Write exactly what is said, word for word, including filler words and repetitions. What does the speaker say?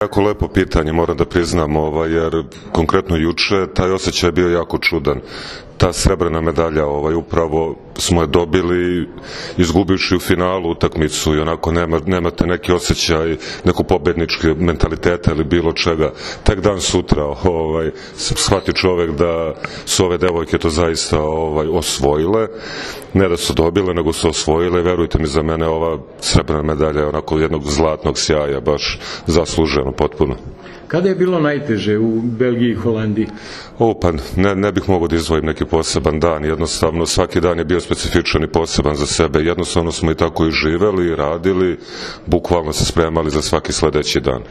Jako lepo pitanje, moram da priznam, ovaj, jer konkretno juče taj osjećaj je bio jako čudan. Ta srebrna medalja, ovaj, upravo smo je dobili izgubivši u finalu utakmicu i onako nema, nemate neki osjećaj, neku pobednički mentaliteta ili bilo čega. Tek dan sutra ovaj, shvati čovek da su ove devojke to zaista ovaj, osvojile, ne da su dobile, nego su osvojile. Verujte mi, za mene ova srebrna medalja je onako jednog zlatnog sjaja, baš zasluženo potpuno. Kada je bilo najteže u Belgiji i Holandiji? O, pa ne, ne bih mogao da izdvojim neki poseban dan, jednostavno svaki dan je bio specifičan i poseban za sebe, jednostavno smo i tako i živeli i radili, bukvalno se spremali za svaki sledeći dan.